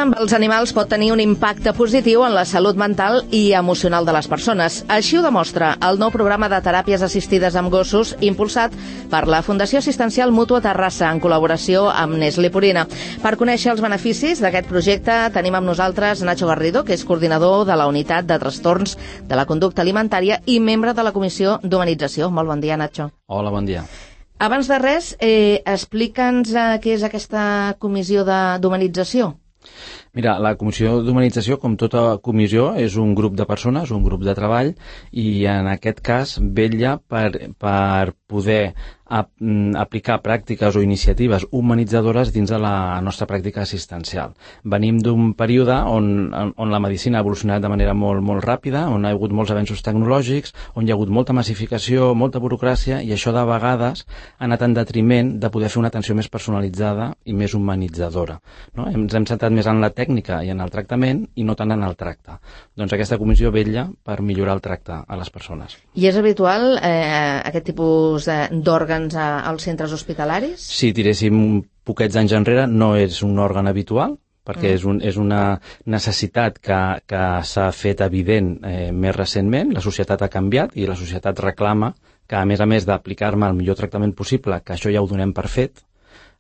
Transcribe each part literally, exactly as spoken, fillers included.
amb els animals pot tenir un impacte positiu en la salut mental i emocional de les persones. Així ho demostra el nou programa de teràpies assistides amb gossos impulsat per la Fundació Assistencial Mútua Terrassa en col·laboració amb Nestlé Purina. Per conèixer els beneficis d'aquest projecte tenim amb nosaltres Nacho Garrido, que és coordinador de la Unitat de Trastorns de la Conducta Alimentària i membre de la Comissió d'Humanització. Molt bon dia, Nacho. Hola, bon dia. Abans de res, eh, explica'ns eh, què és aquesta comissió d'humanització. Mira, la Comissió d'Humanització, com tota comissió, és un grup de persones, un grup de treball, i en aquest cas vetlla per, per poder ap aplicar pràctiques o iniciatives humanitzadores dins de la nostra pràctica assistencial. Venim d'un període on, on la medicina ha evolucionat de manera molt, molt ràpida, on ha hagut molts avenços tecnològics, on hi ha hagut molta massificació, molta burocràcia, i això de vegades ha anat en detriment de poder fer una atenció més personalitzada i més humanitzadora. No? Ens hem centrat més en la tècnica i en el tractament i no tant en el tracte. Doncs aquesta comissió vetlla per millorar el tracte a les persones. I és habitual eh, aquest tipus d'òrgans als centres hospitalaris? Si tiréssim poquets anys enrere, no és un òrgan habitual, perquè mm. és, un, és una necessitat que, que s'ha fet evident eh, més recentment. La societat ha canviat i la societat reclama que, a més a més d'aplicar-me el millor tractament possible, que això ja ho donem per fet,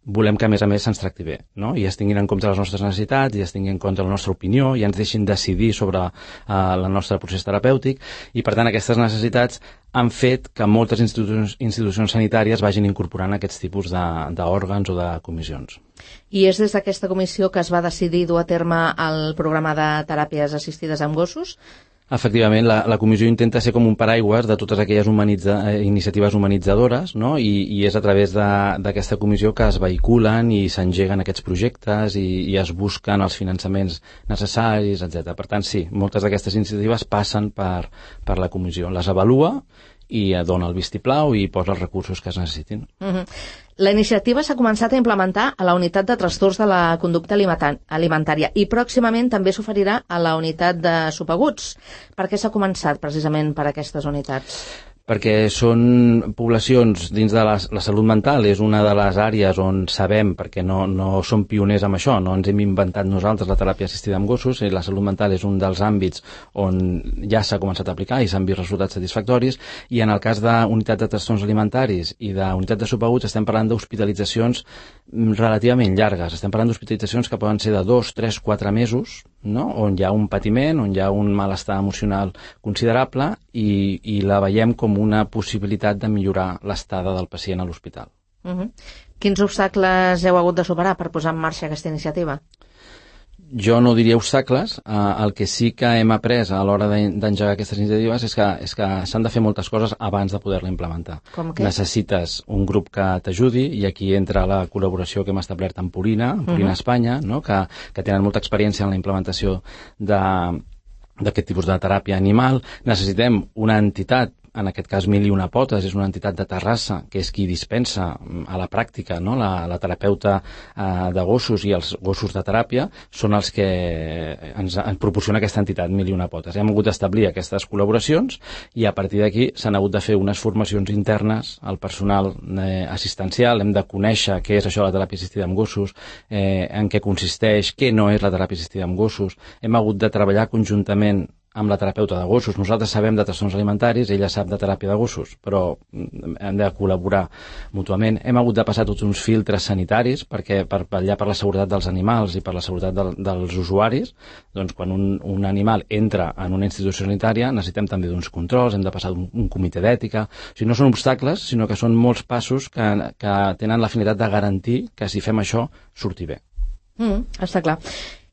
volem que, a més a més, se'ns tracti bé, no? I es tinguin en compte les nostres necessitats, i es tinguin en compte la nostra opinió, i ens deixin decidir sobre uh, el nostre procés terapèutic, i, per tant, aquestes necessitats han fet que moltes institucions, institucions sanitàries vagin incorporant aquests tipus d'òrgans o de comissions. I és des d'aquesta comissió que es va decidir dur a terme el programa de teràpies assistides amb gossos? Efectivament, la, la comissió intenta ser com un paraigües de totes aquelles humanitza, eh, iniciatives humanitzadores, no? I, i és a través d'aquesta comissió que es vehiculen i s'engeguen aquests projectes i, i es busquen els finançaments necessaris, etcètera. Per tant, sí, moltes d'aquestes iniciatives passen per, per la comissió. Les avalua i dona el vistiplau i posa els recursos que es necessitin. Uh-huh. La iniciativa s'ha començat a implementar a la Unitat de Trastorns de la Conducta Alimentària i pròximament també s'oferirà a la Unitat de Subaguts. Per què s'ha començat precisament per aquestes unitats? Perquè són poblacions dins de la, la salut mental, és una de les àrees on sabem, perquè no, no som pioners amb això, no ens hem inventat nosaltres la teràpia assistida amb gossos, i la salut mental és un dels àmbits on ja s'ha començat a aplicar i s'han vist resultats satisfactoris, i en el cas d'unitat de trastorns alimentaris i d'unitat de subaguts estem parlant d'hospitalitzacions relativament llargues, estem parlant d'hospitalitzacions que poden ser de dos, tres, quatre mesos, no? On hi ha un patiment, on hi ha un malestar emocional considerable i, i la veiem com una possibilitat de millorar l'estada del pacient a l'hospital. Uh-huh. Quins obstacles heu hagut de superar per posar en marxa aquesta iniciativa? Jo no diria obstacles. Uh, el que sí que hem après a l'hora d'engegar aquestes iniciatives és que, és que s'han de fer moltes coses abans de poder-la implementar. Com què? Necessites un grup que t'ajudi, i aquí entra la col·laboració que hem establert amb Purina, amb Purina uh-huh. Espanya, no? que, que tenen molta experiència en la implementació de d'aquest tipus de teràpia animal. Necessitem una entitat, en aquest cas Mil i una potes, és una entitat de Terrassa, que és qui dispensa a la pràctica, no? la, la terapeuta eh, de gossos i els gossos de teràpia són els que ens, ens proporciona aquesta entitat, Mil i una potes. Hem hagut d'establir aquestes col·laboracions i a partir d'aquí s'han hagut de fer unes formacions internes al personal eh, assistencial. Hem de conèixer què és això de la teràpia assistida amb gossos, eh, en què consisteix, què no és la teràpia assistida amb gossos. Hem hagut de treballar conjuntament amb la terapeuta de gossos. Nosaltres sabem de trastorns alimentaris, ella sap de teràpia de gossos, però hem de col·laborar mútuament. Hem hagut de passar tots uns filtres sanitaris perquè per vetllar per la seguretat dels animals i per la seguretat de, dels usuaris. Doncs quan un, un animal entra en una institució sanitària necessitem també d'uns controls, hem de passar un, un comitè d'ètica. O sigui, no són obstacles, sinó que són molts passos que, que tenen la finalitat de garantir que si fem això surti bé. Mm, està clar.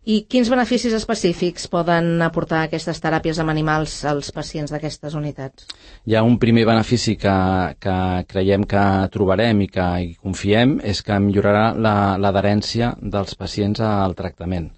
I quins beneficis específics poden aportar aquestes teràpies amb animals als pacients d'aquestes unitats? Hi ha un primer benefici que, que creiem que trobarem i que hi confiem, és que millorarà l'adherència dels pacients al tractament.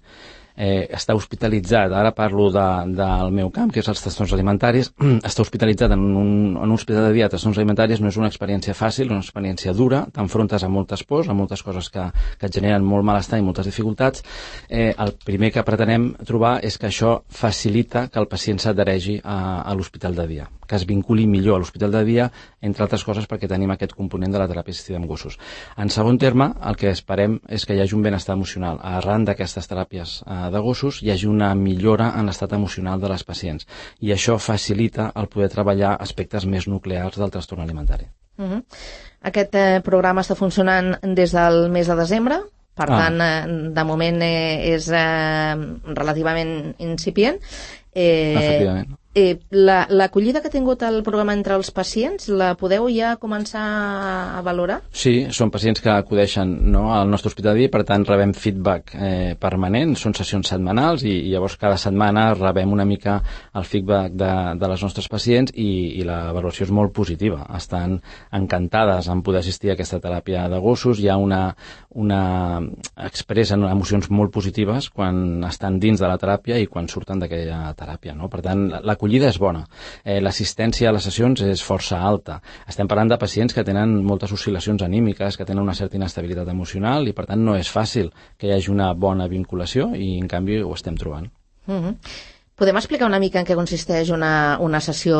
Eh, està hospitalitzat, ara parlo de, del meu camp, que és els trastorns alimentaris, està hospitalitzat en un, en un hospital de dia de trastorns alimentaris. No és una experiència fàcil, és una experiència dura, t'enfrontes a moltes pors, a moltes coses que, que et generen molt malestar i moltes dificultats. Eh, el primer que pretenem trobar és que això facilita que el pacient s'adhereixi a, a l'hospital de dia, que es vinculi millor a l'hospital de dia, entre altres coses perquè tenim aquest component de la teràpia assistida amb gossos. En segon terme, el que esperem és que hi hagi un benestar emocional. Arran d'aquestes teràpies eh, de gossos hi hagi una millora en l'estat emocional de les pacients i això facilita el poder treballar aspectes més nuclears del trastorn alimentari. Uh-huh. Aquest eh, programa està funcionant des del mes de desembre. Per ah. tant, eh, de moment eh, és eh, relativament incipient. Eh, Efectivament. Eh, la, l'acollida que ha tingut el programa entre els pacients, la podeu ja començar a valorar? Sí, són pacients que acudeixen, no, al nostre hospital de dia, per tant rebem feedback eh, permanent, són sessions setmanals i, i llavors cada setmana rebem una mica el feedback de, de les nostres pacients i, i la valoració és molt positiva. Estan encantades en poder assistir a aquesta teràpia de gossos, hi ha una, una expressen emocions molt positives quan estan dins de la teràpia i quan surten d'aquella teràpia, no? Per tant, la l'acollida és bona. Eh, l'assistència a les sessions és força alta. Estem parlant de pacients que tenen moltes oscil·lacions anímiques, que tenen una certa inestabilitat emocional i, per tant, no és fàcil que hi hagi una bona vinculació i, en canvi, ho estem trobant. Mm-hmm. Podem explicar una mica en què consisteix una, una sessió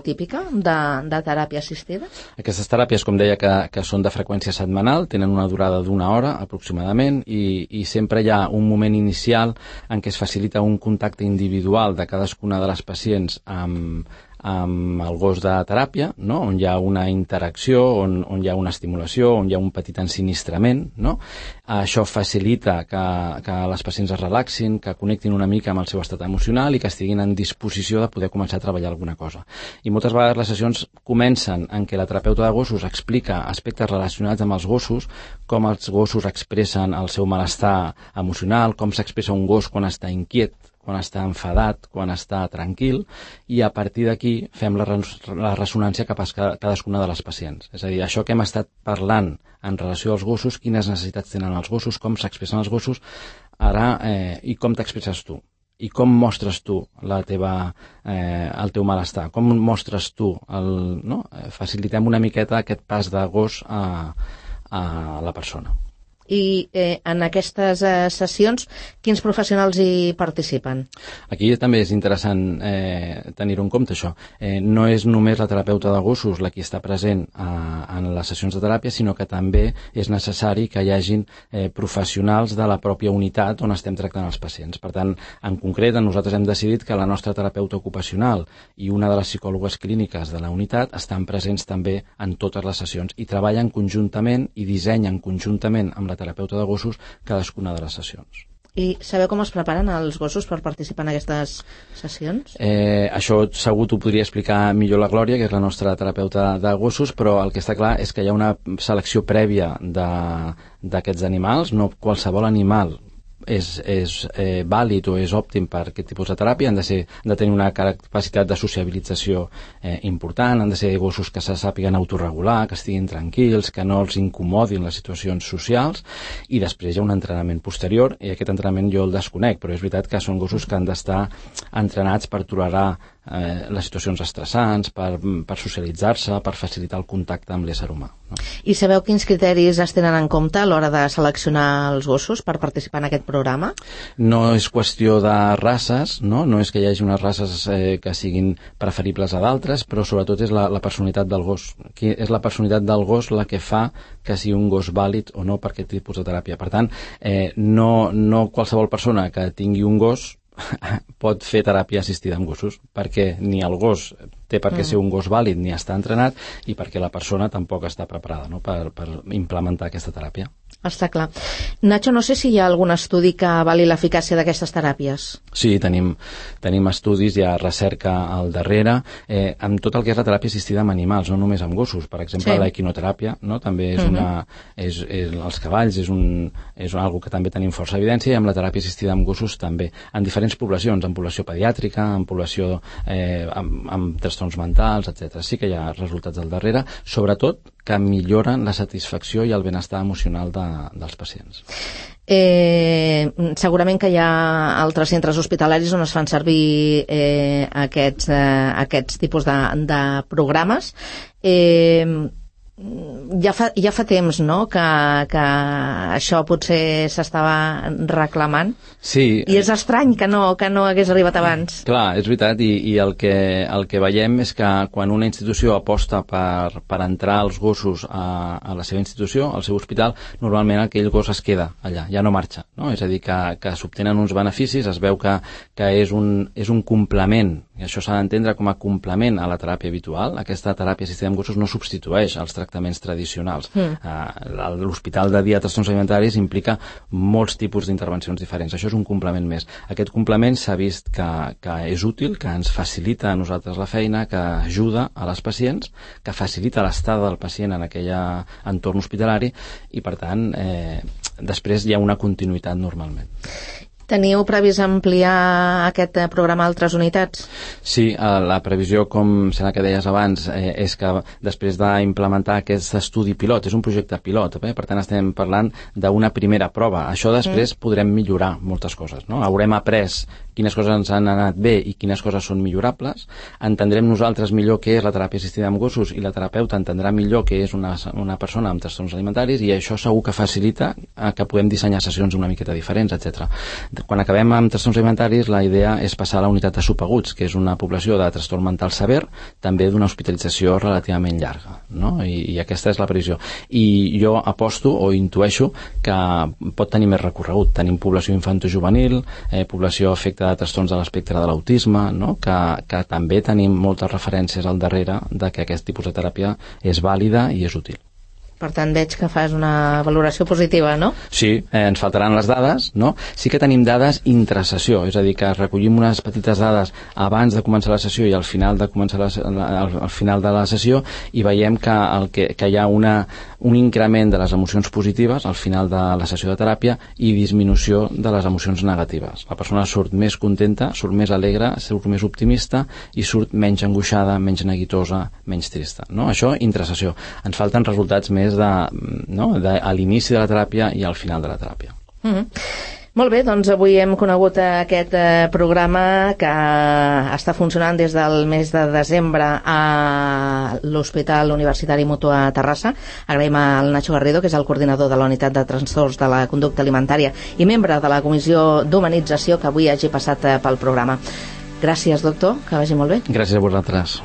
típica de, de teràpia assistida? Aquestes teràpies, com deia, que, que són de freqüència setmanal, tenen una durada d'una hora aproximadament i, i sempre hi ha un moment inicial en què es facilita un contacte individual de cadascuna de les pacients amb, amb el gos de teràpia, no? On hi ha una interacció, on, on hi ha una estimulació, on hi ha un petit ensinistrament, no? Això facilita que, que les pacients es relaxin, que connectin una mica amb el seu estat emocional i que estiguin en disposició de poder començar a treballar alguna cosa. I moltes vegades les sessions comencen en què la terapeuta de gossos explica aspectes relacionats amb els gossos, com els gossos expressen el seu malestar emocional, com s'expressa un gos quan està inquiet, quan està enfadat, quan està tranquil, i a partir d'aquí fem la, res la ressonància cap a cadascuna de les pacients. És a dir, això que hem estat parlant en relació als gossos, quines necessitats tenen els gossos, com s'expressen els gossos, ara, eh, i com t'expresses tu, i com mostres tu la teva, eh, el teu malestar, com mostres tu, el, no? Facilitem una miqueta aquest pas de gos a, a la persona. I eh, en aquestes eh, sessions, quins professionals hi participen? Aquí també és interessant eh, tenir-ho en compte, això. Eh, no és només la terapeuta de gossos la qui està present eh, en les sessions de teràpia, sinó que també és necessari que hi hagin eh, professionals de la pròpia unitat on estem tractant els pacients. Per tant, en concret, nosaltres hem decidit que la nostra terapeuta ocupacional i una de les psicòlogues clíniques de la unitat estan presents també en totes les sessions i treballen conjuntament i dissenyen conjuntament amb la terapeuta de gossos cadascuna de les sessions. I sabeu com es preparen els gossos per participar en aquestes sessions? Eh, això segur t'ho podria explicar millor la Glòria, que és la nostra terapeuta de gossos, però el que està clar és que hi ha una selecció prèvia d'aquests animals, no qualsevol animal és, és eh, vàlid o és òptim per aquest tipus de teràpia, han de, ser, han de tenir una capacitat de sociabilització eh, important, han de ser gossos que se sàpiguen autorregular, que estiguin tranquils, que no els incomodin les situacions socials, i després hi ha un entrenament posterior, i aquest entrenament jo el desconec, però és veritat que són gossos que han d'estar entrenats per tolerar eh, les situacions estressants, per, per socialitzar-se, per facilitar el contacte amb l'ésser humà. No? I sabeu quins criteris es tenen en compte a l'hora de seleccionar els gossos per participar en aquest programa? No és qüestió de races, no, no és que hi hagi unes races eh, que siguin preferibles a d'altres, però sobretot és la, la personalitat del gos. Qui és la personalitat del gos la que fa que sigui un gos vàlid o no per aquest tipus de teràpia. Per tant, eh, no, no qualsevol persona que tingui un gos pot fer teràpia assistida amb gossos, perquè ni el gos té per què ser un gos vàlid ni està entrenat i perquè la persona tampoc està preparada, no?, per, per implementar aquesta teràpia. Està clar. Nacho, no sé si hi ha algun estudi que avali l'eficàcia d'aquestes teràpies. Sí, tenim, tenim estudis, hi ha recerca al darrere, eh, amb tot el que és la teràpia assistida amb animals, no només amb gossos. Per exemple, sí. l'equinoteràpia, no?, també és uh-huh. una... És, és, els cavalls és, un, és una cosa que també tenim força evidència, i amb la teràpia assistida amb gossos també, en diferents poblacions, en població pediàtrica, en població eh, amb, amb trastorns mentals, etcètera. Sí que hi ha resultats al darrere, sobretot que milloren la satisfacció i el benestar emocional de, dels pacients. Eh, segurament que hi ha altres centres hospitalaris on es fan servir eh, aquests, eh, aquests tipus de, de programes. Eh, ja fa, ja fa temps, no?, que, que això potser s'estava reclamant. Sí. I és estrany que no, que no hagués arribat abans. Clar, és veritat, i, i el, que, el que veiem és que quan una institució aposta per, per entrar els gossos a, a la seva institució, al seu hospital, normalment aquell gos es queda allà, ja no marxa, no? És a dir, que, que s'obtenen uns beneficis, es veu que, que és, un, és un complement, i això s'ha d'entendre com a complement a la teràpia habitual. Aquesta teràpia assistida amb gossos no substitueix els tractaments tradicionals. Mm. Uh, L'hospital de dia de trastorns alimentaris implica molts tipus d'intervencions diferents. Això és un complement més. Aquest complement s'ha vist que, que és útil, que ens facilita a nosaltres la feina, que ajuda a les pacients, que facilita l'estada del pacient en aquell entorn hospitalari i, per tant, eh, després hi ha una continuïtat normalment. Teniu previst ampliar aquest programa a altres unitats? Sí, la previsió, com serà que deies abans, eh, és que després d'implementar aquest estudi pilot, és un projecte pilot, eh? Per tant estem parlant d'una primera prova. Això després mm. podrem millorar moltes coses, no? Haurem après quines coses ens han anat bé i quines coses són millorables, entendrem nosaltres millor què és la teràpia assistida amb gossos i la terapeuta entendrà millor què és una, una persona amb trastorns alimentaris, i això segur que facilita que podem dissenyar sessions una miqueta diferents, etcètera. Quan acabem amb trastorns alimentaris, la idea és passar a la unitat de subaguts, que és una població de trastorn mental sever, també d'una hospitalització relativament llarga, no? I, i aquesta és la previsió. I jo aposto o intueixo que pot tenir més recorregut. Tenim població infantojuvenil, eh, població afecta de trastorns de l'espectre de l'autisme, no? que, que també tenim moltes referències al darrere de que aquest tipus de teràpia és vàlida i és útil. Per tant, veig que fas una valoració positiva, no? Sí, eh, ens faltaran les dades, no? Sí que tenim dades intrasessió, és a dir, que recollim unes petites dades abans de començar la sessió i al final de començar la, al, al final de la sessió, i veiem que, el que, que hi ha una, un increment de les emocions positives al final de la sessió de teràpia i disminució de les emocions negatives. La persona surt més contenta, surt més alegre, surt més optimista i surt menys angoixada, menys neguitosa, menys trista, no? Això intrasessió. Ens falten resultats més de, no? de, a l'inici de la teràpia i al final de la teràpia. Mm-hmm. Molt bé, doncs avui hem conegut aquest eh, programa que està funcionant des del mes de desembre a l'Hospital Universitari Mutu a Terrassa. Agraïm al Nacho Garrido, que és el coordinador de la Unitat de Trastorns de la Conducta Alimentària i membre de la Comissió d'Humanització, que avui hagi passat eh, pel programa. Gràcies, doctor, que vagi molt bé. Gràcies a vosaltres.